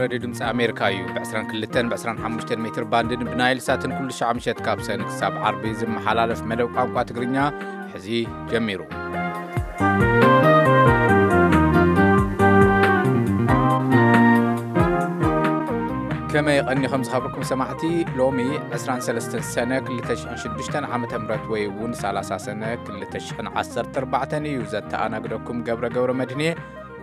ሬድዮ ድምፂ ኣሜሪካ እዩ። ብ22 ብ25 ሜትር ባንድን ብናይል ሳትን ኩሉ ሻዕ ምሸት ካብ ሰን ክሳብ ዓርቢ ዝመሓላለፍ መደብ ቋንቋ ትግርኛ ሕዚ ጀሚሩ። ከመይ ቀኒኹም ዝኸብርኩም ሰማዕቲ? ሎሚ 23 ሰነ 2006 ዓመተ ምህረት ወይ እውን 30 ሰነ 2014 እዩ። ዘተኣናግደኩም ገብረ ገብረ መድህኔ።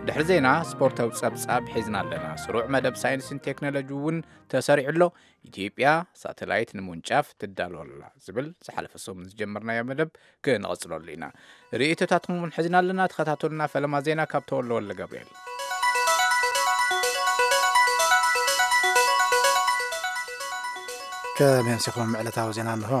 ድሕሪ ዜና ስፖርታዊ ጸብጻብ ሒዝና ኣለና። ስሩዕ መደብ ሳይንስን ቴክኖሎጂ እውን ተሰሪዑ ኣሎ። ኢትዮጵያ ሳተላይት ንምውንጫፍ ትዳሎ ኣላ ዝብል ዝሓለፈ ሰሙን ዝጀመርናዮ መደብ ክንቐጽለሉ ኢና። ርእይቶታትኩም እውን ሒዝና ኣለና። ተኸታተሉና። ፈለማ ዜና ካብ ተወልደ ወልደ ገብርኤል። ከመይ ኣምሲኹም? ዕለታዊ ዜና እንሆ።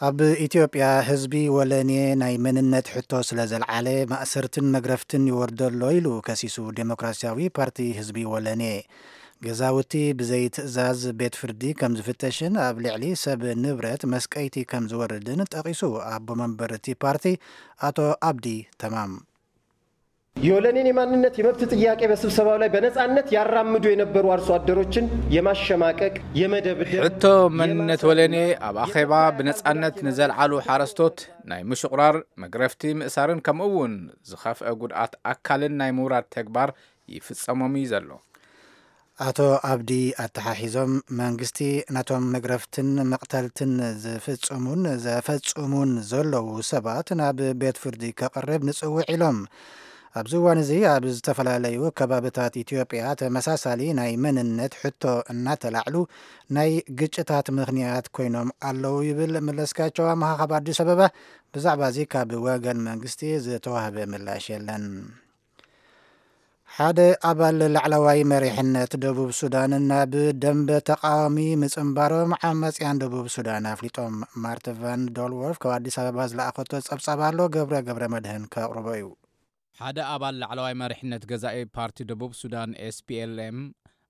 ኣብ ኢትዮጵያ ህዝቢ ወለኔ ናይ መንነት ሕቶ ስለ ዘልዓለ ማእሰርትን መግረፍትን ይወርደሎ ኢሉ ከሲሱ ዴሞክራሲያዊ ፓርቲ ህዝቢ ወለኔ። ገዛውቲ ብዘይ ትእዛዝ ቤት ፍርዲ ከም ዝፍተሽን ኣብ ልዕሊ ሰብ ንብረት መስቀይቲ ከም ዝወርድን ጠቒሱ ኣቦ መንበር እቲ ፓርቲ ኣቶ ኣብዲ ተማም። የወለኔን የማንነት የመብት ጥያቄ በስብሰባው ላይ በነጻነት ያራምዱ የነበሩ አርሶ አደሮችን የማሸማቀቅ፣ የመደብደብ፣ ሕቶ መንነት የማሰር ወለኔ ኣብ ኣኼባ ብነጻነት ንዘልዓሉ ሓረስቶት ናይ ምሽቑራር፣ መግረፍቲ፣ ምእሳርን ከምኡ እውን ዝኸፍአ ጉድኣት ኣካልን ናይ ምውራድ ተግባር ይፍጸሞም እዩ ዘሎ። ኣቶ ኣብዲ ኣተሓሒዞም መንግስቲ ነቶም መግረፍትን መቕተልትን ዝፍጽሙን ዘፈጽሙን ዘለዉ ሰባት ናብ ቤት ፍርዲ ከቕርብ ንጽውዕ ኢሎም። ኣብዚ እዋን እዚ ኣብ ዝተፈላለዩ ከባብታት ኢትዮጵያ ተመሳሳሊ ናይ መንነት ሕቶ እናተላዕሉ ናይ ግጭታት ምኽንያት ኮይኖም ኣለዉ ይብል መለስካቸው ኣምሃ ካብ ኣዲስ ኣበባ። ብዛዕባ እዚ ካብ ወገን መንግስቲ ዝተዋህበ ምላሽ የለን። ሓደ ኣባል ላዕለዋይ መሪሕነት ደቡብ ሱዳን ናብ ደንበ ተቃዋሚ ምጽንባሮም ዓማጽያን ደቡብ ሱዳን ኣፍሊጦም። ማርተ ቫን ዶልወርፍ ካብ ኣዲስ ኣበባ ዝለኣኸቶ ጸብጻብ ኣሎ። ገብረ ገብረ መድህን ከቕርቦ እዩ። ሓደ ኣባል ላዕለዋይ መሪሕነት ገዛኢ ፓርቲ ደቡብ ሱዳን ኤስፒኤልኤም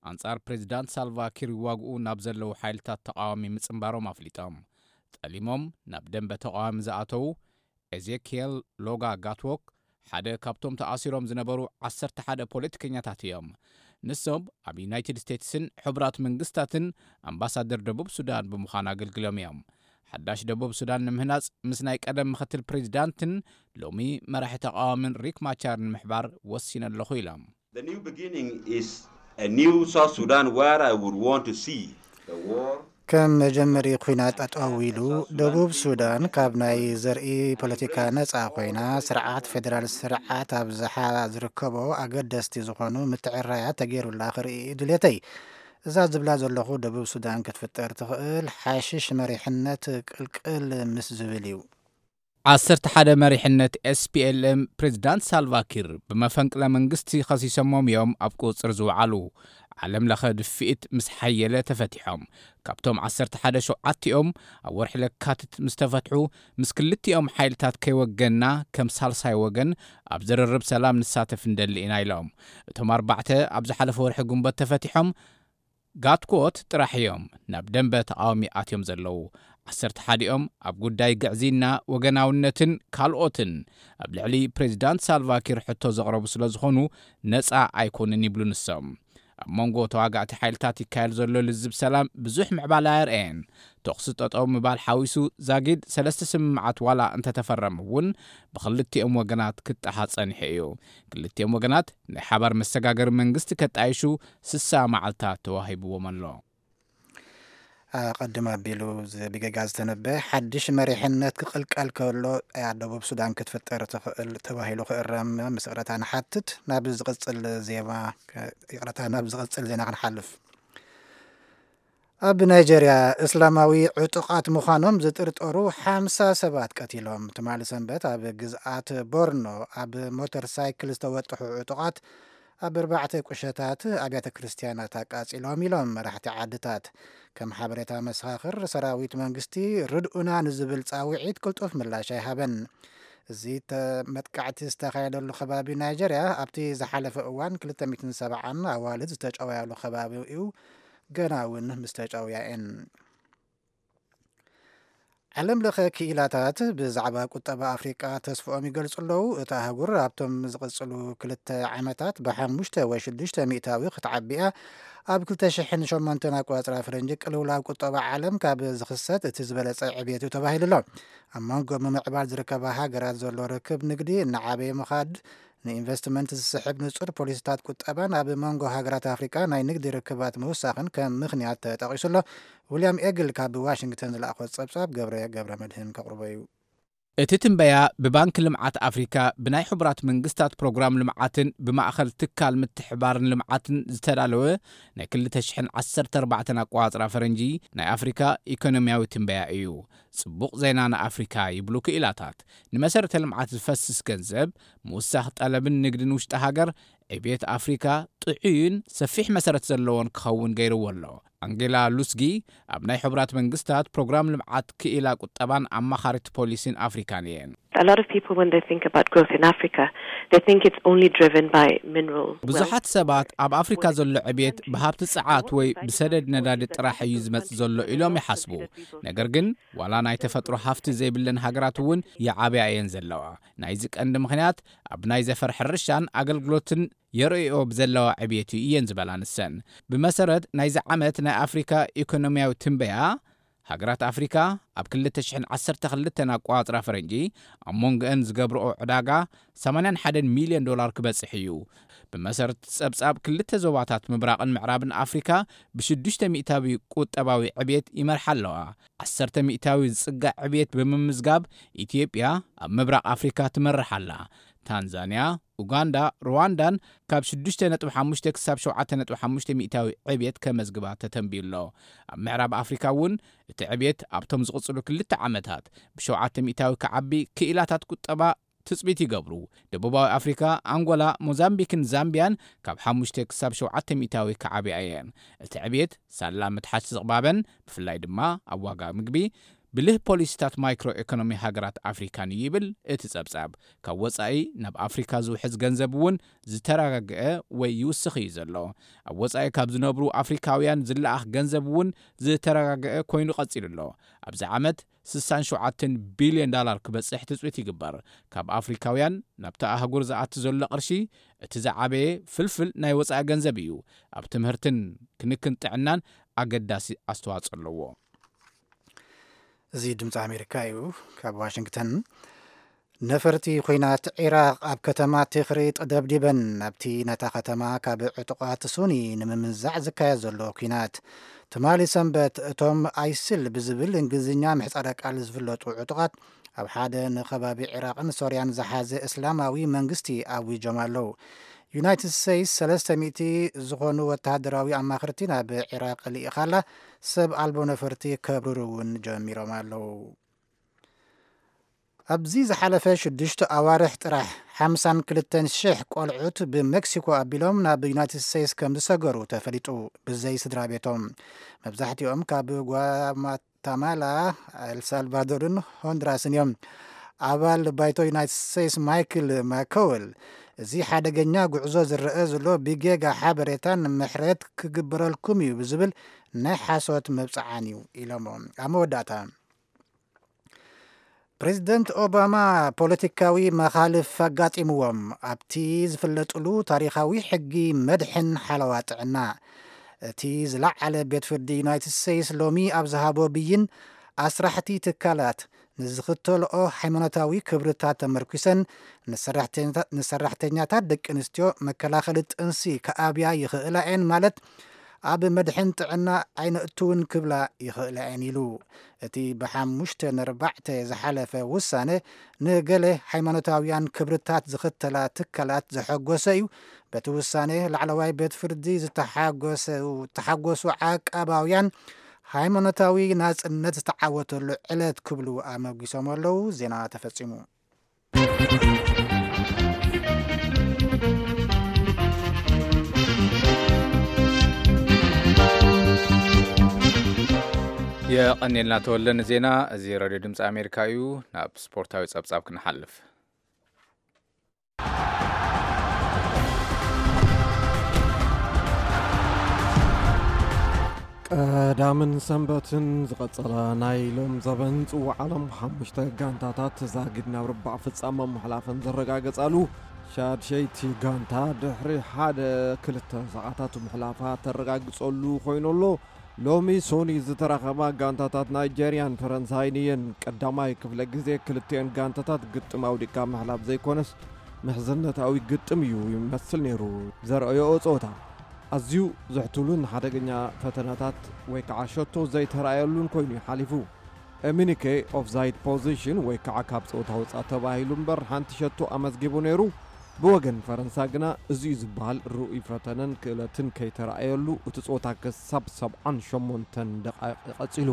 ኣንጻር ፕሬዚዳንት ሳልቫ ኪር ይዋግኡ ናብ ዘለዉ ሓይልታት ተቃዋሚ ምጽንባሮም ኣፍሊጦም። ጠሊሞም ናብ ደንበ ተቃዋሚ ዝኣተዉ ኤዜኪየል ሎጋ ጋትዎክ ሓደ ካብቶም ተኣሲሮም ዝነበሩ 11 ፖለቲከኛታት እዮም። ንሶም ኣብ ዩናይትድ ስቴትስን ሕቡራት መንግስታትን ኣምባሳደር ደቡብ ሱዳን ብምዃን ኣገልግሎም እዮም። ሓዳሽ ደቡብ ሱዳን ንምህናጽ ምስ ናይ ቀደም ምኽትል ፕሬዚዳንትን ሎሚ መራሒ ተቃዋምን ሪክ ማቻር ንምሕባር ወሲነ ኣለኹ ኢሎም። The new beginning is a new South Sudan where I would want to see the war ከም መጀመሪ ኩናት ጠጠው ኢሉ ደቡብ ሱዳን ካብ ናይ ዘርኢ ፖለቲካ ነጻ ኮይና ስርዓት ፌደራል ስርዓት ኣብዝሓ ዝርከቦ ኣገደስቲ ዝኾኑ ምትዕራያት ተገይሩላ ክርኢ ድሌተይ። እዛ ዝብላ ዘለኹ ደቡብ ሱዳን ክትፍጠር ትኽእል ሓሽሽ መሪሕነት ቅልቅል ምስ ዝብል እዩ። 11 መሪሕነት ኤስፒኤልኤም ፕሬዚዳንት ሳልቫ ኪር ብመፈንቅለ መንግስቲ ከሲሶሞም እዮም ኣብ ቁጽር ዝወዓሉ። ዓለም ለኸ ድፍኢት ምስ ሓየለ ተፈቲሖም። ካብቶም 11 ሸውዓቲኦም ኣብ ወርሒ ለካትት ምስ ተፈትሑ፣ ምስ ክልቲኦም ሓይልታት ከይወገንና ከም ሳልሳይ ወገን ኣብ ዝርርብ ሰላም ንሳተፍ እንደሊ ኢና ኢሎም። እቶም ኣርባዕተ ኣብ ዝሓለፈ ወርሒ ግንቦት ተፈቲሖም። ጋትኮት ጥራሕ እዮም ናብ ደንበ ተቃዋሚ ኣትዮም ዘለዉ። 11ኦም ኣብ ጉዳይ ግዕዝይና፣ ወገናውነትን ካልኦትን ኣብ ልዕሊ ፕሬዚዳንት ሳልቫ ኪር ሕቶ ዘቕረቡ ስለ ዝኾኑ ነጻ ኣይኮኑን ይብሉ ንሶም። ኣብ መንጎ ተዋጋእቲ ሓይልታት ይካየድ ዘሎ ልዝብ ሰላም ብዙሕ ምዕባለ ኣየርአየን። ተኹሲ ጠጠው ምባል ሓዊሱ ዛጊድ ሰለስተ ስምምዓት ዋላ እንተተፈረመ እውን ብክልቲኦም ወገናት ክጠሓ ጸኒሑ እዩ። ክልቲኦም ወገናት ናይ ሓባር መሰጋገሪ መንግስቲ ከጣይሹ 60 መዓልታት ተዋሂብዎም ኣሎ። ኣቐድም ኣቢሉ ዝ-፣ ብጌጋ ዝተነበ ሓድሽ መሪሕነት ክቕልቀል ከሎ እያ ደቡብ ሱዳን ክትፍጠር ትኽእል ተባሂሉ ክእረም ምስ ይቕረታ ንሓትት። ናብ ዝቕጽል ዜማ ከ-፣ ይቕረታ፣ ናብ ዝቕጽል ዜና ክንሓልፍ። ኣብ ናይጀርያ እስላማዊ ዕጡቓት ምዃኖም ዝጥርጠሩ ሓምሳ ሰባት ቀቲሎም። ትማሊ ሰንበት ኣብ ግዝኣት ቦርኖ ኣብ ሞተር ሳይክል ዝተወጥሑ ዕጡቓት ኣብ ኣርባዕተ ቁሸታት ኣብያተ ክርስትያናት ኣቃጺሎም ኢሎም መራሕቲ ዓድታት። ከም ሓበሬታ መሰኻኽር፣ ሰራዊት መንግስቲ ርድኡና ንዝብል ጻውዒት ቅልጡፍ ምላሽ ኣይሃበን። እዚ ተ-፣ መጥቃዕቲ ዝተኻየደሉ ከባቢ ናይጀርያ ኣብቲ ዝሓለፈ እዋን 270 ኣዋልድ ዝተጨወያሉ ከባቢ እዩ። ገና እውን ምስ ተጨውያ እየን። ዓለም ለኸ ክኢላታት ብዛዕባ ቁጠባ ኣፍሪቃ ተስፍኦም ይገልጹ ኣለዉ። እታ ኣህጉር ኣብቶም ዝቕጽሉ ክልተ ዓመታት ብ5 ወይ 6 ሚእታዊ ክትዓቢ እያ። ኣብ 2008 ኣቆጻጽራ ፈረንጂ ቅልውላው ቁጠባ ዓለም ካብ ዝኽሰት እቲ ዝበለጸ ዕብየት እዩ ተባሂሉ ኣሎ። ኣብ መንጎ ምምዕባል ዝርከባ ሃገራት ዘሎ ርክብ ንግዲ እናዓበየ ምኻድ ንኢንቨስትመንት ዝስሕብ ንጹር ፖሊሲታት ቁጠባን ኣብ መንጎ ሃገራት ኣፍሪቃ ናይ ንግዲ ርክባት ምውሳኽን ከም ምኽንያት ተጠቒሱ ኣሎ። ዊልያም ኤግል ካብ ዋሽንግተን ዝለኣኾ ጸብጻብ ገብረ ገብረ መድህን ከቕርቦ እዩ። እቲ ትንበያ ብባንክ ልምዓት ኣፍሪካ ብናይ ሕቡራት መንግስታት ፕሮግራም ልምዓትን ብማእኸል ትካል ምትሕባርን ልምዓትን ዝተዳለወ ናይ 2014 ኣቆጻጽራ ፈረንጂ ናይ ኣፍሪካ ኢኮኖሚያዊ ትንበያ እዩ። ጽቡቕ ዜና ንኣፍሪካ ይብሉ ክኢላታት። ንመሰረተ ልምዓት ዝፈስስ ገንዘብ ምውሳኽ ጠለብን ንግድን ውሽጢ ሃገር ዕብየት ኣፍሪካ ጥዑይን ሰፊሕ መሰረት ዘለዎን ክኸውን ገይርዎ ኣሎ። ኣንጌላ ሉስጊ ኣብ ናይ ሕቡራት መንግስታት ፕሮግራም ልምዓት ክኢላ ቁጠባን ኣማኻሪት ፖሊሲን ኣፍሪካን እየን። A lot of people, when they think about growth in Africa, they think it's only driven by mineral wealth. ብዙሓት ሰባት ኣብ ኣፍሪካ ዘሎ ዕብየት ብሃብቲ ጸዓት ወይ ብሰደድ ነዳዲ ጥራሕ እዩ ዝመጽእ ዘሎ ኢሎም ይሓስቡ። ነገር ግን ዋላ ናይ ተፈጥሮ ሃፍቲ ዘይብለን ሃገራት እውን ይዓብያ እየን ዘለዋ። ናይዚ ቀንዲ ምኽንያት ኣብ ናይ ዘፈር ሕርሻን ኣገልግሎትን የርእዮ ብዘለዋ ዕብየት እዩ እየን ዝበላ ንሰን። ብመሰረት ናይዚ ዓመት ናይ ኣፍሪካ ኢኮኖሚያዊ ትንበያ፣ ሃገራት ኣፍሪካ ኣብ 2012 ኣቋጽራ ፈረንጂ ኣብ መንጎአን ዝገብርኦ ዕዳጋ 81 ሚልዮን ዶላር ክበጽሕ እዩ። ብመሰረት ጸብጻብ ክልተ ዞባታት ምብራቕን ምዕራብን ኣፍሪካ ብ6 ሚእታዊ ቁጠባዊ ዕብየት ይመርሓ ኣለዋ። 10 ሚእታዊ ዝጽጋዕ ዕብየት ብምምዝጋብ ኢትዮጵያ ኣብ ምብራቕ ኣፍሪካ ትመርሕ ኣላ። ታንዛንያ፣ ኡጋንዳ፣ ሩዋንዳን ካብ 6.5 ክሳብ 7.5 ሚእታዊ ዕብየት ከመዝግባ ተተንብዩ ኣሎ። ኣብ ምዕራብ ኣፍሪካ እውን እቲ ዕብየት ኣብቶም ዝቕጽሉ ክልተ ዓመታት ብ7 ሚእታዊ ክዓቢ ክኢላታት ቁጠባ ትጽቢት ይገብሩ። ደቡባዊ ኣፍሪካ፣ ኣንጎላ፣ ሞዛምቢክን ዛምቢያን ካብ 5 ክሳብ 7 ሚእታዊ ክዓብያ እየን። እቲ ዕብየት ሳላ ምትሓት ዝቕባበን ብፍላይ ድማ ኣብ ዋጋ ምግቢ ብልህ ፖሊሲታት ማይክሮ ኢኮኖሚ ሃገራት ኣፍሪካን እዩ ይብል እቲ ጸብጻብ። ካብ ወጻኢ ናብ ኣፍሪካ ዝውሕዝ ገንዘብ እውን ዝተረጋግአ ወይ ይውስኽ እዩ ዘሎ። ኣብ ወጻኢ ካብ ዝነብሩ ኣፍሪካውያን ዝለኣኽ ገንዘብ እውን ዝተረጋግአ ኮይኑ ቀጺሉ ኣሎ። ኣብዚ ዓመት 67 ቢልዮን ዳላር ክበጽሕ ትጽቢት ይግበር። ካብ ኣፍሪካውያን ናብቲ ኣህጉር ዝኣቲ ዘሎ ቅርሺ እቲ ዝዓበየ ፍልፍል ናይ ወጻኢ ገንዘብ እዩ። ኣብ ትምህርትን ክንክን ጥዕናን ኣገዳሲ ኣስተዋጽኦ ኣለዎ። እዚ ድምፂ ኣሜሪካ እዩ። ካብ ዋሽንግተን፣ ነፈርቲ ኲናት ዒራቕ ኣብ ከተማ ቲኽሪጥ ደብዲበን፣ ኣብቲ ነታ ከተማ ካብ ዕጡቓት ሱኒ ንምምንዛዕ ዝካየድ ዘሎ ኲናት። ትማሊ ሰንበት፣ እቶም ኣይስል ብዝብል እንግሊዝኛ ምሕጻረ ቃል ዝፍለጡ ዕጡቓት ኣብ ሓደ ንከባቢ ዒራቕን ሶርያን ዝሓዘ እስላማዊ መንግስቲ ኣዊጆም ኣለዉ። ዩናይትድ ስቴትስ 300 ዝኾኑ ወተሃደራዊ ኣማኽርቲ ናብ ዒራቕ ልኢኻላ፣ ሰብ ኣልቦ ነፈርቲ ከብርሩ እውን ጀሚሮም ኣለዉ። ኣብዚ ዝሓለፈ ሽዱሽተ ኣዋርሕ ጥራሕ 52,000 ቆልዑት ብሜክሲኮ ኣቢሎም ናብ ዩናይትድ ስቴትስ ከም ዝሰገሩ ተፈሊጡ፣ ብዘይ ስድራ ቤቶም። መብዛሕትኦም ካብ ጓማታማላ፣ ኤልሳልቫዶርን ሆንድራስን እዮም። ኣባል ባይቶ ዩናይትድ ስቴትስ ማይክል ማኮወል፣ እዚ ሓደገኛ ጉዕዞ ዝረአ ዘሎ ብጌጋ ሓበሬታን ምሕረት ክግበረልኩም እዩ ብዝብል ናይ ሓሶት መብጽዓን እዩ ኢሎሞ። ኣብ መወዳእታ፣ ፕሬዚደንት ኦባማ ፖለቲካዊ መኻልፍ ኣጋጢምዎም ኣብቲ ዝፍለጥሉ ታሪኻዊ ሕጊ መድሕን ሓለዋ ጥዕና። እቲ ዝለዓለ ቤት ፍርዲ ዩናይትድ ስቴትስ ሎሚ ኣብ ዝሃቦ ብይን፣ ኣስራሕቲ ትካላት ንዝኽተልኦ ሃይማኖታዊ ክብርታት ተመርኲሰን ንሰራሕተኛታ-፣ ንሰራሕተኛታት ደቂ ኣንስትዮ መከላኸሊ ጥንሲ ክኣብያ ይኽእላ እየን፣ ማለት ኣብ መድሕን ጥዕና ኣይነእትውን ክብላ ይኽእላ እየን ኢሉ። እቲ ብ5-4 ዝሓለፈ ውሳነ ንገለ ሃይማኖታውያን ክብርታት ዝኽተላ ትካላት ዘሐጎሰ እዩ። በቲ ውሳነ ላዕለዋይ ቤት ፍርዲ ዝተሓጎሰ-፣ ዝተሓጎሱ ዓቃባውያን ሃይማኖታዊ ናጽነት ዝተዓወተሉ ዕለት ክብሉ ኣመጒሶም ኣለዉ። ዜና ተፈጺሙ። የቐኔልና ተወልደ ንዜና። እዚ ሬድዮ ድምፂ ኣሜሪካ እዩ። ናብ ስፖርታዊ ጸብጻብ ክንሓልፍ። ቀዳምን ሰንበትን ዝቐጸላ ናይ ሎም ዘበን ጽዋዕ ዓለም ሓሙሽተ ጋንታታት ዛጊድ ናብ ርባዕ ፍጻመ ምሕላፈን ዘረጋገጻሉ ሻድሸይቲ ጋንታ ድሕሪ ሓደ ክልተ ሰዓታት ምሕላፋ ተረጋግጸሉ ኮይኑ ኣሎ። ሎሚ ሶኒ ዝተራኸባ ጋንታታት ናይጀርያን ፈረንሳይን እየን ቀዳማይ ክፍለ ግዜ ክልቲኤን ጋንታታት ግጥም ኣውዲቕካ ምሕላፍ ዘይኮነስ ምሕዝነታዊ ግጥም እዩ ይመስል ነይሩ ዘርኣዮኦ ጸወታ። ኣዝዩ ዘሕትሉን ሓደገኛ ፈተናታት ወይ ከዓ ሸቶ ዘይተራእየሉን ኮይኑ እዩ ሓሊፉ። ኤሚኒኬ ኦፍሳይድ ፖዚሽን ወይ ከዓ ካብ ፀወታ ውፃእ ተባሂሉ እምበር ሓንቲ ሸቶ ኣመዝጊቡ ነይሩ። ብወገን ፈረንሳ ግና እዚዩ ዝበሃል ርኡይ ፈተነን ክእለትን ከይተራእየሉ እቲ ፀወታ ክሳብ ሰብዓን ሸሞንተን ደቃይቕ ቀፂሉ።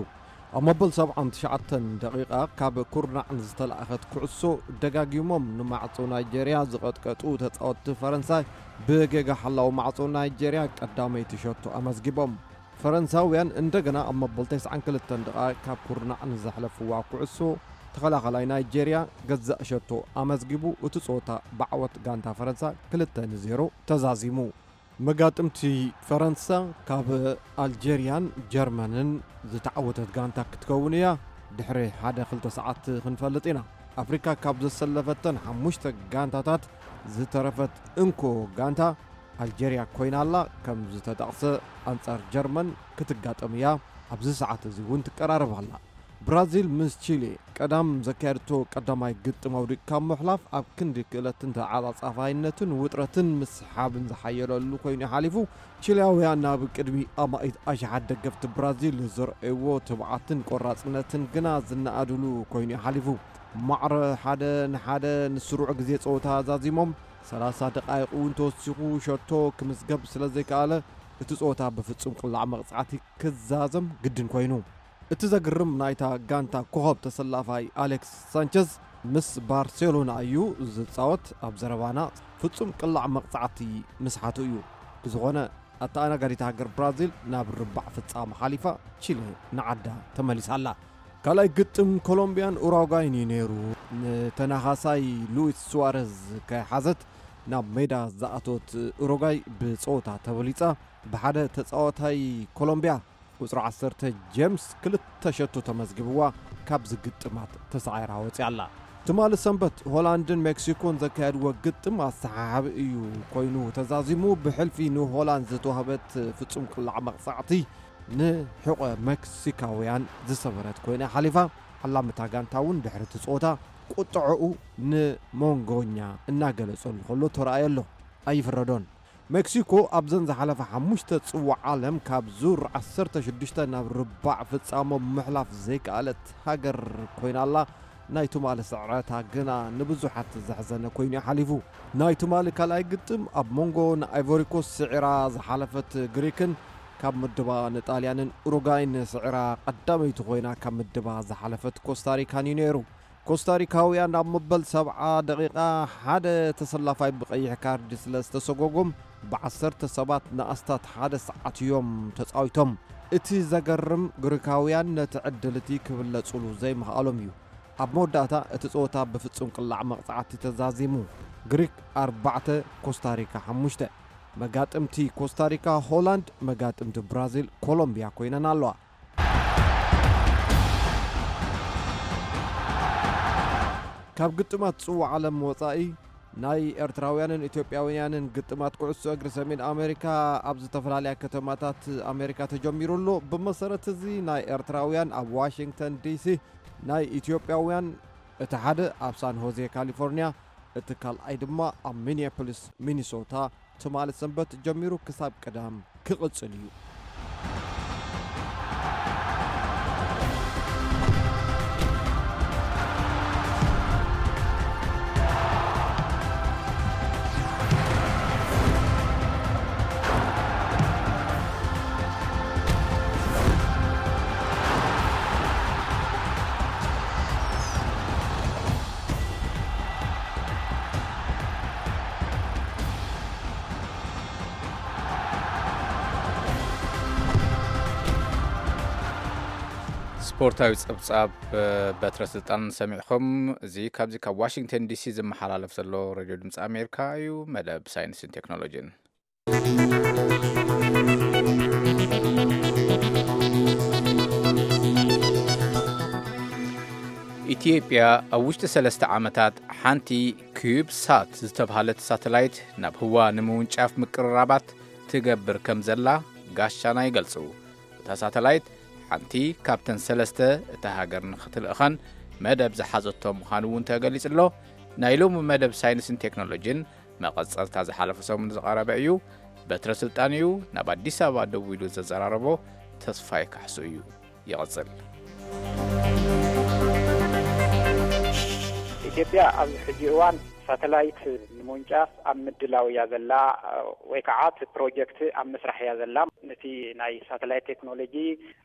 ኣብ መበል ሰብዓን ትሽዓተን ደቂቃ ካብ ኩርናዕ ንዝተላእኸት ኩዕሶ ደጋጊሞም ንማዕጾ ናይጀርያ ዝቐጥቀጡ ተጻወትቲ ፈረንሳይ ብጌጋ ሓላው ማዕጾ ናይጀርያ ቀዳመይቲ ሸቶ ኣመዝጊቦም። ፈረንሳውያን እንደገና ኣብ መበል ተስዓን ክልተን ደቂቃ ካብ ኩርናዕ ንዘሕለፍዋ ኩዕሶ ተኸላኸላይ ናይጀርያ ገዛእ ሸቶ ኣመዝጊቡ እቲ ጸወታ ብዓወት ጋንታ ፈረንሳ ክልተ ንዜሮ ተዛዚሙ። መጋጥምቲ ፈረንሳ ካብ ኣልጀርያን ጀርመንን ዝተዓወተት ጋንታ ክትከውን እያ። ድሕሪ ሓደ ክልተ ሰዓት ክንፈልጥ ኢና። ኣፍሪካ ካብ ዘሰለፈተን ሓሙሽተ ጋንታታት ዝተረፈት እንኮ ጋንታ ኣልጀርያ ኮይና ኣላ። ከም ዝተጠቕሰ ኣንጻር ጀርመን ክትጋጠም እያ። ኣብዚ ሰዓት እዚ እውን ትቀራረብ ኣላ። ብራዚል ምስ ቺሊ ቀዳም ዘካየድቶ ቀዳማይ ግጥም ኣውዲቕካ ምሕላፍ ኣብ ክንዲ ክእለትን ተዓጻጻፋይነትን ውጥረትን ምስሓብን ዝሓየለሉ ኮይኑ ሓሊፉ። ቺሊያውያን ናብ ቅድሚ ኣማኢት ኣሽሓት ደገፍቲ ብራዚል ዘርኣይዎ ትብዓትን ቆራጽነትን ግና ዝነኣድሉ ኮይኑ ሓሊፉ። ማዕረ ሓደ ንሓደ ንስሩዕ ግዜ ጸወታ ዛዚሞም ሰላሳ ደቃይቕ እውን ተወሲኹ ሸቶ ክምዝገብ ስለ ዘይከኣለ እቲ ጸወታ ብፍጹም ቅላዕ መቕጻዕቲ ክዛዘም ግድን ኮይኑ። እቲ ዘግርም ናይታ ጋንታ ኮኸብ ተሰላፋይ ኣሌክስ ሳንቸዝ ምስ ባርሴሎና እዩ ዝጻወት። ኣብ ዘረባና ፍጹም ቅላዕ መቕጻዕቲ ምስሓቱ እዩ። ብዝኾነ ኣተኣናጋዲት ሃገር ብራዚል ናብ ርባዕ ፍጻመ ሓሊፋ ቺለ ንዓዳ ተመሊሳ ኣላ። ካልኣይ ግጥም ኮሎምቢያን ኡራጓይን እዩ ነይሩ። ንተናኻሳይ ሉዊስ ሱዋረዝ ከይሓዘት ናብ ሜዳ ዝኣቶት ኡሩጓይ ብጸወታ ተበሊጻ። ብሓደ ተጻዋታይ ኮሎምቢያ ቁጽሪ ዓሰርተ ጄምስ ክልተ ሸቶ ተመዝጊብዋ ካብዚ ግጥማት ተሳዒራ ወጺኣ ኣላ። ትማሊ ሰንበት ሆላንድን ሜክሲኮን ዘካየድዎ ግጥም ኣሰሓሓቢ እዩ ኮይኑ ተዛዚሙ። ብሕልፊ ንሆላንድ ዝተዋህበት ፍጹም ቅላዕ መቕጻዕቲ ንሕቖ ሜክሲካውያን ዝሰበረት ኮይና ሓሊፋ። ዓላምታ ጋንታ እውን ድሕሪ እቲ ጸወታ ቁጥዐኡ ንሞንጎኛ እናገለጸሉ ከሎ ተራእየ ኣሎ። ኣይፍረዶን። ሜክሲኮ ኣብዘን ዝሓለፈ ሓሙሽተ ጽዋዕ ዓለም ካብ ዙር ዓሰርተ ሽዱሽተ ናብ ርባዕ ፍጻሞ ምሕላፍ ዘይከኣለት ሃገር ኮይና ኣላ። ናይ ትማሊ ስዕረታ ግና ንብዙሓት ዘሕዘነ ኮይኑ እዩ ሓሊፉ። ናይ ትማሊ ካልኣይ ግጥም ኣብ መንጎ ንኣይቮሪኮስ ስዒራ ዝሓለፈት ግሪክን ካብ ምድባ ንጣልያንን ኡሩጋይን ስዒራ ቀዳመይቲ ኮይና ካብ ምድባ ዝሓለፈት ኮስታሪካን እዩ ነይሩ። ኮስታሪካውያን ኣብ መበል ሰብዓ ደቂቓ ሓደ ተሰላፋይ ብቐይሕ ካርድ ስለ ዝተሰጎጎም ብዓሰርተ ሰባት ንኣስታት ሓደ ሰዓት እዮም ተጻዊቶም። እቲ ዘገርም ግሪካውያን ነቲ ዕድል እቲ ክብለጹሉ ዘይምኽኣሎም እዩ። ኣብ መወዳእታ እቲ ጸወታ ብፍጹም ቅላዕ መቕጻዕቲ ተዛዚሙ። ግሪክ ኣርባዕተ፣ ኮስታሪካ ሓሙሽተ። መጋጥምቲ ኮስታሪካ ሆላንድ፣ መጋጥምቲ ብራዚል ኮሎምቢያ ኮይነን ኣለዋ። ካብ ግጥማት ጽዋዕ ዓለም ወጻኢ ናይ ኤርትራውያንን ኢትዮጵያውያንን ግጥማት ኩዕሶ እግሪ ሰሜን ኣሜሪካ ኣብ ዝተፈላለያ ከተማታት ኣሜሪካ ተጀሚሩ ኣሎ። ብመሰረት እዚ ናይ ኤርትራውያን ኣብ ዋሽንግተን ዲሲ፣ ናይ ኢትዮጵያውያን እቲ ሓደ ኣብ ሳን ሆዜ ካሊፎርኒያ፣ እቲ ካልኣይ ድማ ኣብ ሚኒያፖሊስ ሚኒሶታ ትማሊ ሰንበት ጀሚሩ ክሳብ ቀዳም ክቕጽል እዩ። ስፖርታዊ ጸብጻብ በትረ ስልጣን ሰሚዕኹም። እዚ ካብዚ ካብ ዋሽንግተን ዲሲ ዝመሓላለፍ ዘሎ ሬድዮ ድምፂ ኣሜሪካ እዩ። መደብ ሳይንስን ቴክኖሎጂን። ኢትዮጵያ ኣብ ውሽጢ ሰለስተ ዓመታት ሓንቲ ኪዩብ ሳት ዝተብሃለት ሳተላይት ናብ ህዋ ንምውንጫፍ ምቅርራባት ትገብር ከም ዘላ ጋሻና ይገልጹ። እታ ሳተላይት ሓንቲ ካብተን ሰለስተ እታ ሃገር ንኽትልእኸን መደብ ዝሓዘቶ ምዃኑ እውን ተገሊጹ ኣሎ። ናይ ሎሚ መደብ ሳይንስን ቴክኖሎጂን መቐጸልታ ዝሓለፈ ሰሙን ዝቐረበ እዩ። በትረ ስልጣን እዩ። ናብ ኣዲስ ኣበባ ደዊሉ ዘዘራረቦ ተስፋይ ካሕሱ እዩ። ይቐጽል። ኢትዮጵያ ኣብዚ ሕጂ እዋን ሳተላይት ንምውንጫፍ ኣብ ምድላው እያ ዘላ፣ ወይ ከዓ እቲ ፕሮጀክት ኣብ ምስራሕ እያ ዘላ። ነቲ ናይ ሳተላይት ቴክኖሎጂ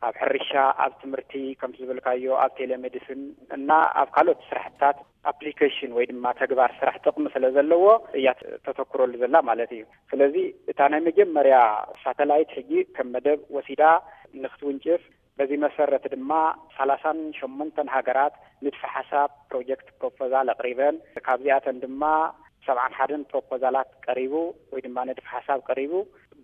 ኣብ ሕርሻ፣ ኣብ ትምህርቲ፣ ከምቲ ዝበልካዮ ኣብ ቴሌሜዲስን እና ኣብ ካልኦት ስራሕትታት ኣፕሊኬሽን ወይ ድማ ተግባር ስራሕ ጥቕሚ ስለ ዘለዎ እያ ተተኩረሉ ዘላ ማለት እዩ። ስለዚ እታ ናይ መጀመርያ ሳተላይት ሕጂ ከም መደብ ወሲዳ ንክትውንጭፍ፣ በዚ መሰረት ድማ ሰላሳን ሸሞንተን ሃገራት ንድፈ ሓሳብ ፕሮጀክት ፕሮፖዛል ኣቕሪበን፣ ካብዚኣተን ድማ ሰብዓን ሓደን ፕሮፖዛላት ቀሪቡ ወይ ድማ ንድፈ ሓሳብ ቀሪቡ።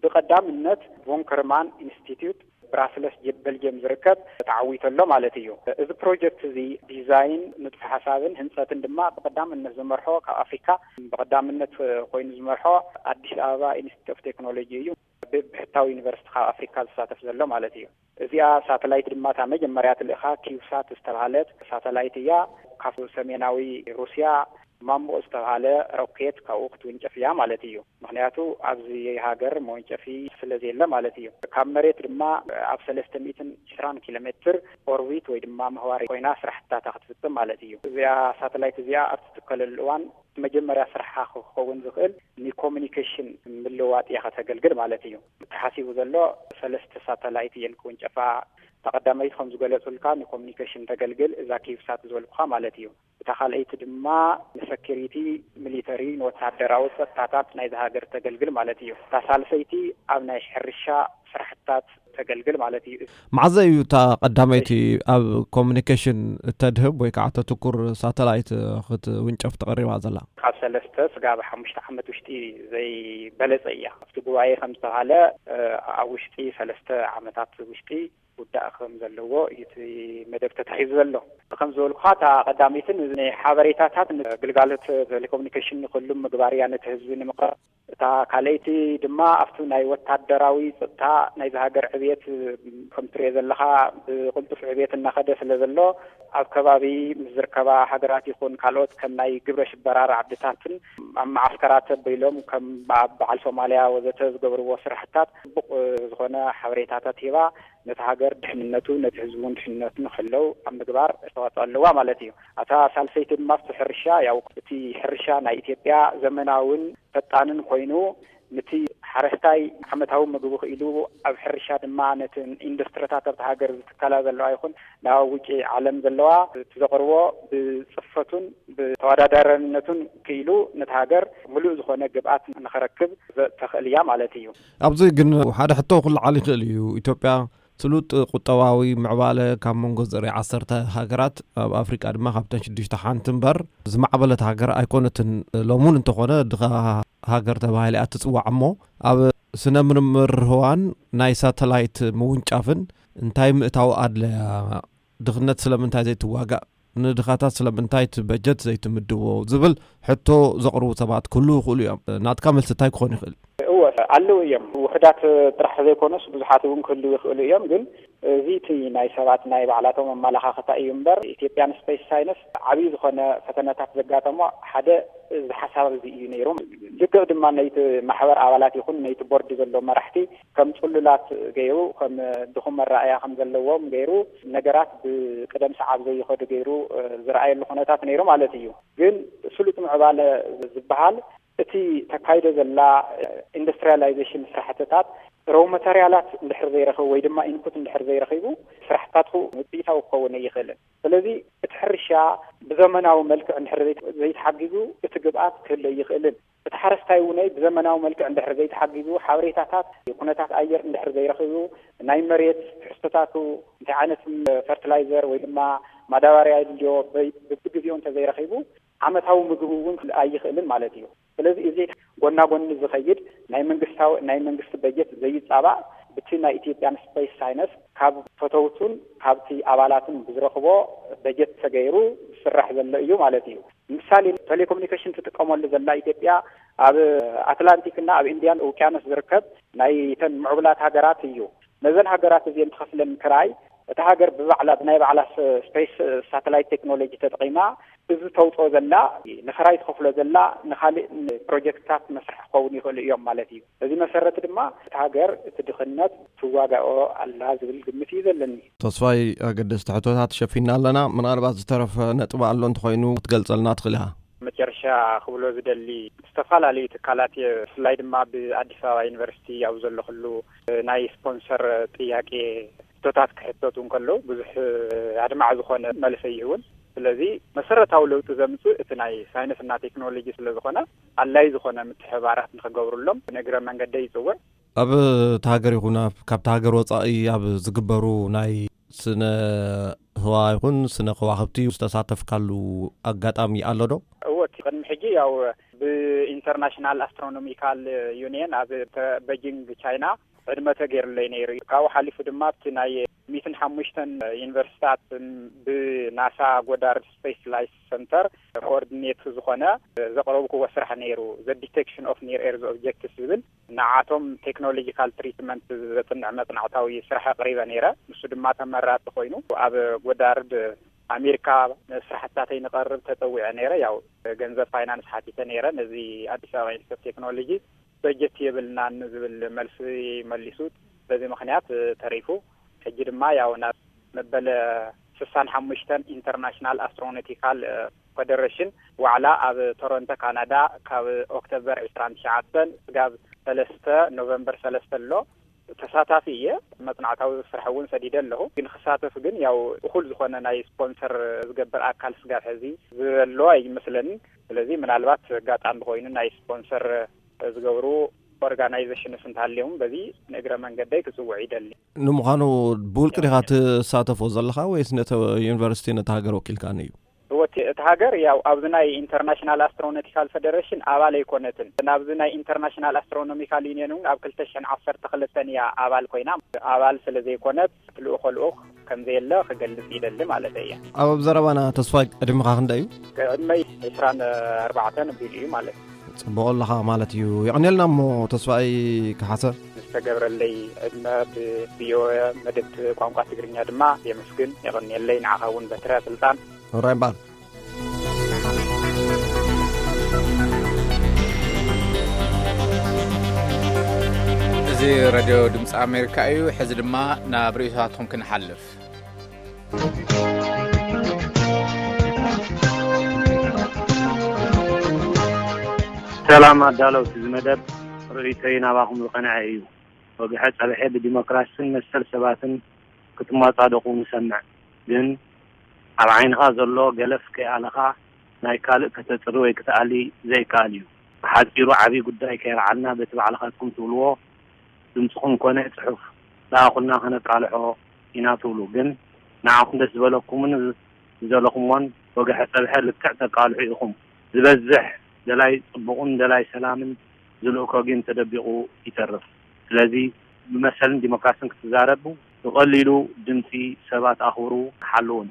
ብቐዳምነት ቮን ከርማን ኢንስቲትዩት ብራስለስ ጀ-፣ በልጅየም ዝርከብ ተዓዊቱ ኣሎ ማለት እዩ። እዚ ፕሮጀክት እዚ ዲዛይን፣ ንድፈ ሓሳብን ህንፀትን ድማ ብቐዳምነት ዝመርሖ ካብ ኣፍሪካ ብቐዳምነት ኮይኑ ዝመርሖ ኣዲስ ኣበባ ኢንስቲትዩት ኦፍ ቴክኖሎጂ እዩ። ብብሕታዊ ዩኒቨርሲቲ ካብ ኣፍሪካ ዝሳተፍ ዘሎ ማለት እዩ። እዚኣ ሳተላይት ድማ እታ መጀመርያ ትልእኻ ኪዩብሳት ዝተባሃለት ሳተላይት እያ። ካብ ሰሜናዊ ሩስያ ማምቦ ዝተባሃለ ሮኬት ካብኡ ክትውንጨፍ እያ ማለት እዩ። ምክንያቱ ኣብዚ ሃገር መወንጨፊ ስለ ዘየለ ማለት እዩ። ካብ መሬት ድማ ኣብ ሰለስተ ሚእትን ዕስራን ኪሎ ሜትር ኦርቢት ወይ ድማ ምህዋር ኮይና ስራሕታታ ክትፍጽም ማለት እዩ። እዚኣ ሳተላይት እዚኣ ኣብ ትትከለሉ እዋን መጀመርያ ስራሓ ክኸውን ዝኽእል ንኮሚኒኬሽን ምልውዋጥ እያ ከተገልግል ማለት እዩ። ተሓሲቡ ዘሎ ሰለስተ ሳተላይት እየን ክውንጨፋ። እታ ቀዳመይቲ ከም ዝገለጹልካ ንኮሚኒኬሽን ተገልግል፣ እዛ ኪዩብሳት ዝበልኩኻ ማለት እዩ። እታ ካልኣይቲ ድማ ንሰኪሪቲ፣ ሚሊተሪ፣ ንወታደራዊ ጸጥታታት ናይዛ ሃገር ተገልግል ማለት እዩ። እታ ሳልሰይቲ ኣብ ናይ ሕርሻ ስራሕትታት ተገልግል ማለት እዩ። መዓዘ እዩ እታ ቀዳመይቲ ኣብ ኮሚኒኬሽን እተድህብ ወይ ከዓ ተትኩር ሳተላይት ክትውንጨፍ ተቐሪባ ዘላ? ካብ ሰለስተ ስጋብ ሓሙሽተ ዓመት ውሽጢ ዘይበለጸ እያ። ኣብቲ ጉባኤ ከም ዝተባሃለ፣ እ፣ ኣብ ውሽጢ ሰለስተ ዓመታት ውሽጢ ውዳእ ከም ዘለዎ እዩ እቲ መደብ ተታሒዙ ዘሎ። ከም ዝበልኩኻ፣ እታ ቀዳመይትን ንሓበሬታታት ንግልጋሎት ቴሌኮሙኒኬሽን ንክህሉ ምግባር እያ፣ ነቲ ህዝቢ ንምቕራብ። እታ ካልኣይቲ ድማ ኣብቲ ናይ ወታደራዊ ጸጥታ ናይዚ ሃገር ዕብየት፣ ከም ትሪኦ ዘለኻ፣ ብቕልጡፍ ዕብየት እናኸደ ስለ ዘሎ፣ ኣብ ከባቢ ምስ ዝርከባ ሃገራት ይኹን ካልኦት ከም ናይ ግብረ ሽበራ ራዕድታትን ኣብ መዓስከራት ኣቢሎም ከም ኣብ በዓል ሶማልያ ወዘተ ዝገብርዎ ስራሕታት ጽቡቕ ዝኾነ ሓበሬታታት ሂባ፣ ነቲ ሃገር ድሕንነቱ፣ ነቲ ህዝቢ እውን ድሕንነቱ ንክሕለው ኣብ ምግባር ኣስተዋፅኦ ኣለዋ ማለት እዩ። እታ ሳልሰይቲ ድማ ኣብቲ ሕርሻ፣ ያው እቲ ሕርሻ ናይ ኢትዮጵያ ዘመናውን ፈጣንን ኮይኑ፣ ነቲ ሓረስታይ ዓመታዊ ምግቡ ክኢሉ፣ ኣብ ሕርሻ ድማ ነቲ ኢንዱስትሪታት ኣብቲ ሃገር ዝትከላ ዘለዋ ይኹን ናብ ውጪ ዓለም ዘለዋ እቲ ዘቕርቦ ብፅፈቱን ብተወዳዳራይነቱን ክኢሉ ነቲ ሃገር ምሉእ ዝኾነ ግብኣት ንኸረክብ ዘተኽእል እያ ማለት እዩ። ኣብዚ ግን ሓደ ሕቶ ክለዓል ይኽእል እዩ። ኢትዮጵያ ስሉጥ ቁጠባዊ ምዕባለ ካብ መንጎ ዘርኢ ዓሰርተ ሃገራት፣ ኣብ ኣፍሪቃ ድማ ካብተን ሽዱሽተ ሓንቲ እምበር፣ ዝማዕበለት ሃገር ኣይኮነትን። ሎሙን እንተኾነ ድኻ ሃገር ተባሂላ እያ ትጽዋዕ። እሞ ኣብ ስነ ምርምር ህዋን ናይ ሳተላይት ምውንጫፍን እንታይ ምእታው ኣድለያ? ድኽነት ስለምንታይ ዘይትዋጋእ? ንድኻታት ስለምንታይ እቲ በጀት ዘይትምድቦ? ዝብል ሕቶ ዘቕርቡ ሰባት ክህልዉ ይኽእሉ እዮም። ናትካ መልሲ እንታይ ክኾን ይኽእል? እወ፣ ኣለዉ እዮም። ውሑዳት ጥራሕ ዘይኮኑስ ብዙሓት እውን ክህልዉ ይኽእሉ እዮም። ግን እዚ እቲ ናይ ሰባት ናይ ባዕላቶም ኣመለኻኽታ እዩ እምበር፣ ኢትዮጵያ ንስፔስ ሳይንስ ዓብዪ ዝኾነ ፈተነታት ዘጋጠሞ ሓደ እዚ ሓሳብ እዚ እዩ ነይሩ። ልክዕ ድማ ነይቲ ማሕበር ኣባላት ይኹን ነይቲ ቦርድ ዘሎ መራሕቲ ከም ጽሉላት ገይሩ፣ ከም ድኹም መረኣያ ከም ዘለዎም ገይሩ፣ ነገራት ብቅደም ሰዓብ ዘይኸዱ ገይሩ፣ እ፣ ዝረኣየሉ ኩነታት ነይሩ ማለት እዩ። ግን ስሉጥ ምዕባለ ዝበሃል እቲ ተካይዶ ዘላ ኢንዱስትሪያላይዜሽን ስራሕትታት ረው ማተርያላት እንድሕር ዘይረኽቡ ወይ ድማ ኢንፑት እንድሕር ዘይረኺቡ ስራሕትታቱ ውፅኢታዊ ክኸውን ኣይኽእልን። ስለዚ እቲ ሕርሻ ብዘመናዊ መልክዕ እንድሕር ዘይተ-፣ ዘይተሓጊዙ እቲ ግብኣት ክህሉ ኣይኽእልን። እቲ ሓረስታይ እውን ብዘመናዊ መልክዕ እንድሕር ዘይተሓጊዙ፣ ሓበሬታታት ኩነታት ኣየር እንድሕር ዘይረኺቡ፣ ናይ መሬት ትሕዝቶታቱ እንታይ ዓይነት ፈርቲላይዘር ወይ ድማ ማዳበርያ የድልዮ በይ-፣ በብግዜኡ እንተዘይረኺቡ ዓመታዊ ምግቡ እውን ክል-፣ ኣይኽእልን ማለት እዩ። ስለዚ እዚ ጎና ጎኒ ዝኸይድ ናይ መንግስታዊ ናይ መንግስቲ በጀት ዘይጻባእ ብቲ ናይ ኢትዮጵያን ስፔስ ሳይንስ ካብ ፈተውቱን ካብቲ ኣባላትን ብዝረኽቦ በጀት ተገይሩ ዝስራሕ ዘሎ እዩ ማለት እዩ። ምሳሌ ቴሌኮሙኒኬሽን ትጥቀመሉ ዘላ ኢትዮጵያ ኣብ ኣትላንቲክና ኣብ ኢንዲያን ውቅያኖስ ዝርከብ ናይ ተን ምዕቡላት ሃገራት እዩ። ነዘን ሃገራት እዚአን ትኸፍለን ክራይ እታ ሃገር ብባዕላ ብናይ ባዕላ ስፔስ ሳተላይት ቴክኖሎጂ ተጠቒማ እዚ ተውፅኦ ዘላ ንክራይ ትኸፍሎ ዘላ ንካሊእ ፕሮጀክትታት መስርሒ ክኸውን ይኽእሉ እዮም ማለት እዩ። በዚ መሰረት ድማ እታ ሃገር እቲ ድኽነት ትዋጋኦ ኣላ ዝብል ግምት እዩ ዘለኒ። ተስፋይ ኣገደስቲ ሕቶታት ሸፊና ኣለና። ምናልባት ዝተረፈ ነጥቢ ኣሎ እንተኾይኑ ክትገልጸልና ትኽእል ኢኻ። መጨረሻ ክብሎ ዝደሊ ዝተፈላለዩ ትካላት እየ፣ ብፍላይ ድማ ብኣዲስ ኣበባ ዩኒቨርሲቲ ኣብ ዘለኹሉ ናይ ስፖንሰር ጥያቄ ሕቶታት ክሕተቱ እንከለዉ ብዙሕ ኣድማዕ ዝኾነ መልሲ ይህቡን። ስለዚ መሰረታዊ ለውጢ ዘምፅእ እቲ ናይ ሳይንስና ቴክኖሎጂ ስለ ዝኾነ ኣድላይ ዝኾነ ምትሕባራት ንክገብሩሎም ንእግረ መንገደ ይፅውዕ። ኣብ እታ ሃገር ይኹን ኣብ ካብታ ሃገር ወፃኢ ኣብ ዝግበሩ ናይ ስነ ህዋ ይኹን ስነ ከዋኽብቲ ዝተሳተፍካሉ ኣጋጣሚ ኣሎ ዶ? እወ፣ እቲ ቅድሚ ሕጂ ያው ብኢንተርናሽናል ኣስትሮኖሚካል ዩኒየን ኣብ ተ- በጂንግ ቻይና ዕድመ ተገይሩለይ ነይሩ። ካብኡ ሓሊፉ ድማ ኣብቲ ናይ ሚትን ሓሙሽተን ዩኒቨርሲታት ብናሳ ጎዳርድ ስፔስ ፍላይት ሰንተር ኮኦርዲኔት ዝኾነ ዘቕረብክዎ ስራሕ ነይሩ። The Detection of Near Earth Objects ዝብል ንዓቶም ቴክኖሎጂካል ትሪትመንት ዘጽንዕ መጽናዕታዊ ስራሕ ኣቕሪበ ነይረ። ንሱ ድማ ተመራጺ ኮይኑ ኣብ ጎዳርድ ኣሜሪካ ስራሕትታተይ ንቐርብ ተጸዊዐ ነይረ። ያው ገንዘብ ፋይናንስ ሓቲተ ነይረ። ነዚ ኣዲስ ኣበባ ኢንስቲትዩት ቴክኖሎጂ በጀት የብልናን ዝብል መልሲ መሊሱ። በዚ ምኽንያት ተሪፉ። ሕጂ ድማ ያው ናብ መበለ ስሳን ሓሙሽተን ኢንተርናሽናል ኣስትሮኖቲካል ፈደረሽን ዋዕላ ኣብ ቶሮንቶ ካናዳ ካብ ኦክቶበር ዕስራን ትሽዓተን ስጋብ ሰለስተ ኖቨምበር ሰለስተ ኣሎ ተሳታፊ እየ። መጽናዕታዊ ስራሕ እውን ሰዲደ ኣለኹ። ግን ክሳተፍ ግን ያው እኹል ዝኾነ ናይ ስፖንሰር ዝገብር ኣካል ስጋብ ሕዚ ዘሎ ኣይመስለንን። ስለዚ ምናልባት ኣጋጣሚ ኮይኑ ናይ ስፖንሰር ዝገብሩ ኦርጋናይዜሽንስ እንተሃልዮም በዚ ንእግረ መንገደይ ክጽውዕ ይደሊ። ንምዃኑ ብውልቂ ዲኻ ትሳተፎ ዘለኻ ወይስ ነቲ ዩኒቨርሲቲ ነቲ ሃገር ወኪልካ እዩ? እወ፣ እቲ ሃገር ያው ኣብዚ ናይ ኢንተርናሽናል ኣስትሮኖቲካል ፈደሬሽን ኣባል ኣይኮነትን። ናብዚ ናይ ኢንተርናሽናል ኣስትሮኖሚካል ዩኒየን እውን ኣብ ክልተ ሽሕን ዓሰርተ ክልተን እያ ኣባል ኮይና። ኣባል ስለ ዘይኮነት እቲ ልኡኸ ልኡኽ ከም ዘየለ ክገልጽ ይደሊ ማለት እየ። ኣብ ዘረባና ተስፋይ ዕድመኻ ክንደይ እዩ? ዕድመይ ዕስራን ኣርባዕተን ኣቢሉ እዩ ማለት እዩ። ጽቡቕ ኣለኻ ማለት እዩ። የቐንየልና እሞ ተስፋይ ከሓሰ። ዝተገብረለይ ዕድመ ብቪኦኤ መደብቲ ቋንቋ ትግርኛ ድማ የመስግን። የቐንየለይ። ንዓኻ እውን በትረ ስልጣን። ራይ እምበኣር። እዚ ሬድዮ ድምፂ ኣሜሪካ እዩ። ሕዚ ድማ ናብ ርእይቶታትኩም ክንሓልፍ። ሰላም ኣዳለውቲ እዚ መደብ፣ ርእይቶይ ናባኹም ዝቐንዐ እዩ። ወግሐ ጸብሐ ብዲሞክራስን መሰል ሰባትን ክትመጻደቑ ንሰምዕ። ግን ኣብ ዓይንኻ ዘሎ ገለፍ ከይኣለኻ ናይ ካልእ ከተጽሪ ወይ ክትኣሊ ዘይከኣል እዩ። ብሓጺሩ ዓቢ ጉዳይ ከየልዓልና በቲ ባዕልኻትኩም ትብልዎ ድምጽኹም ኮነ ጽሑፍ ለኣኹልና ከነቃልሖ ኢና ትብሉ። ግን ንዓኹም ደስ ዝበለኩምን ዝደለኹምዎን ወግሐ ጸብሐ ልክዕ ተቃልሑ ኢኹም። ዝበዝሕ ደላይ ጽቡቕን ደላይ ሰላምን ዝልእኮ ግን ተደቢቑ ይተርፍ። ስለዚ ብመሰልን ዲሞክራስን ክትዛረቡ ብቐሊሉ ድምጺ ሰባት ኣኽብሩ ሓልውን።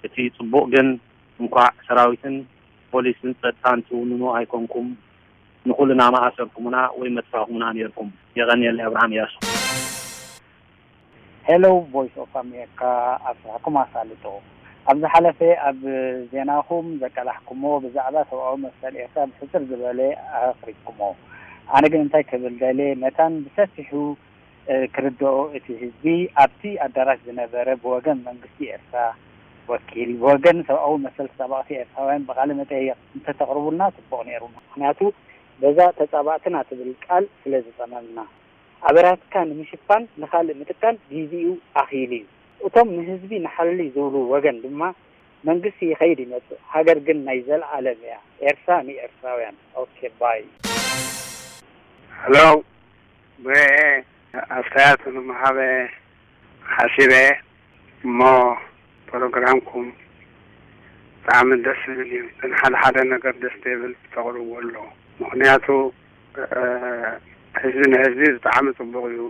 እቲ ጽቡቕ ግን እንኳዕ ሰራዊትን ፖሊስን ጸጥታን ትውንኑ ኣይኮንኩም፣ ንኹልና መኣሰርኩምና ወይ መጥፋእኩምና ነይርኩም። የቐንየለይ። ኣብርሃም እያሱ። ሄሎ ቮይስ ኦፍ ኣሜሪካ፣ ኣብስራሕኩም ኣሳልጦ። ኣብ ዝሓለፈ ኣብ ዜናኹም ዘቃላሕኩሞ ብዛዕባ ሰብኣዊ መሰል ኤርትራ ብሕጽር ዝበለ ኣቕሪብኩሞ። ኣነ ግን እንታይ ክብል ደልየ፣ መታን ብሰፊሑ፣ እ፣ ክርድኦ እቲ ህዝቢ ኣብቲ ኣዳራሽ ዝነበረ ብወገን መንግስቲ ኤርትራ ወኪል፣ ብወገን ሰብኣዊ መሰል ተጣበቕቲ ኤርትራውያን ብቓለ መጠይቕ እንተተቕርቡልና ጽቡቕ ነይሩ። ምኽንያቱ በዛ ተጻባእትና ትብል ቃል ስለ ዝጸመምና። ኣበራትካ ንምሽፋን ንኻልእ ምጥቃም ጊዜኡ ኣኺሉ እዩ። እቶም ንህዝቢ ንሓሊ ዝብሉ ወገን ድማ መንግስቲ ይኸይድ ይመጽእ፣ ሃገር ግን ናይ ዘለኣለም እያ። ኤርትራ ንኤርትራውያን። ኦኬ ባይ። ሄሎ፣ ብሬ ኣስተያየት ንምሃበ ሓሲበ እሞ ፕሮግራምኩም ብጣዕሚ ደስ ዝብል እዩ። ግን ሓደ ሓደ ነገር ደስ ዘይብል ተቕርብዎ ኣሎ። ምኽንያቱ ህዝቢ ንህዝቢ ብጣዕሚ ፅቡቕ እዩ።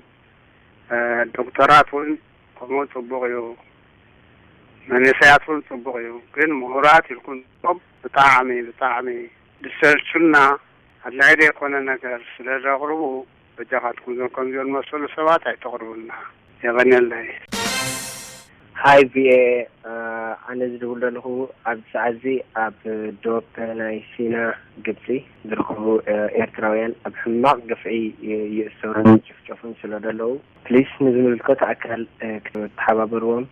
ዶክተራት እውን ከምኡ ፅቡቕ እዩ። መንእሰያት እውን ፅቡቕ እዩ። ግን ምሁራት ኢልኩም ብጣዕሚ ብጣዕሚ ድሰልቹና ኣድላይ ዘይኮነ ነገር ስለ ዘቕርቡ በጃኻትኩም እዞም ከምዚኦም ዝመሰሉ ሰባት ኣይተቕርቡልና። የቐንየለይ። ሃይ ቪኤ፣ ኣነ ዝድውል ዘለኹ ኣብዚ ሰዓት እዚ ኣብ ዶብ ናይ ሲና ግብፂ ዝርከቡ ኤርትራውያን ኣብ ሕማቕ ግፍዒ ይእሰሩን ይጭፍጨፉን ስለ ዘለዉ ፕሊስ ንዝምልከቶ ኣካል ክትተሓባበርዎም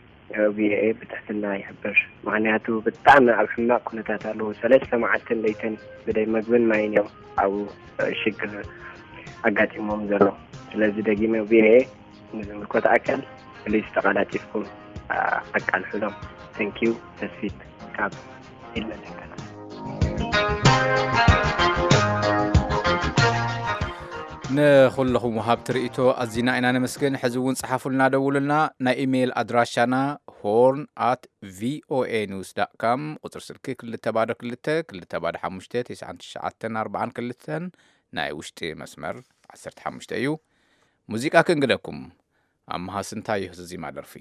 ቪኤ ብትሕትና ይሕብር። ምክንያቱ ብጣዕሚ ኣብ ሕማቕ ኩነታት ኣለዉ። ሰለስተ መዓልትን ለይትን ብደይ መግብን ማይን እዮም ኣብ ሽግር ኣጋጢሞም ዘሎ። ስለዚ ደጊመ ቪኤ ንዝምልከቶ ኣካል ፕሊስ ተቐላጢፍኩም ኣቃልሑሎም። Thank you። ተስፊት ካብ ኢልመ ደንከላ። ንኹልኹም ወሃብቲ ርእይቶ ኣዚና ኢና ነመስግን። ሕዚ እውን ጸሓፉልና፣ ደውሉልና። ናይ ኢሜይል ኣድራሻና ሆርን ኣት ቪኦኤ ኒውስ ዳት ካም፣ ቁጽሪ ስልኪ ክልተ ባዶ ክልተ ክልተ ባዶ ሓሙሽተ ተስዓን ትሽዓተን ኣርባዓን ክልተን፣ ናይ ውሽጢ መስመር ዓሰርተ ሓሙሽተ እዩ። ሙዚቃ ክንግደኩም። ኣምሃ ስንታየሁ ዝዚማ ደርፊ።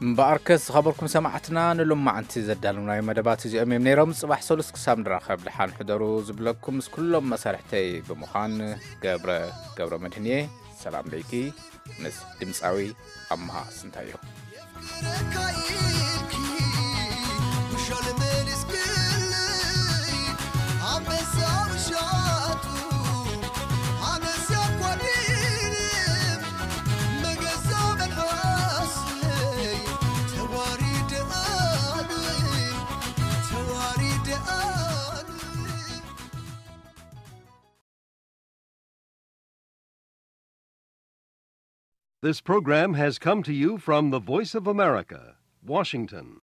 እምበኣርከስ ዝኸበርኩም ሰማዕትና፣ ንሎማዓንቲ ዘዳለውናዮ መደባት እዚኦም እዮም ነይሮም። ጽባሕ ሰሉስ ክሳብ ንራኸብ ደሓን ሕደሩ ዝብለኩም ምስ ኩሎም መሳርሕተይ ብምዃን ገብረ ገብረ መድህን እየ። ሰላም ለይቲ ምስ ድምጻዊ ኣምሃ ስንታየሁ። This program has come to you from the Voice of America, Washington.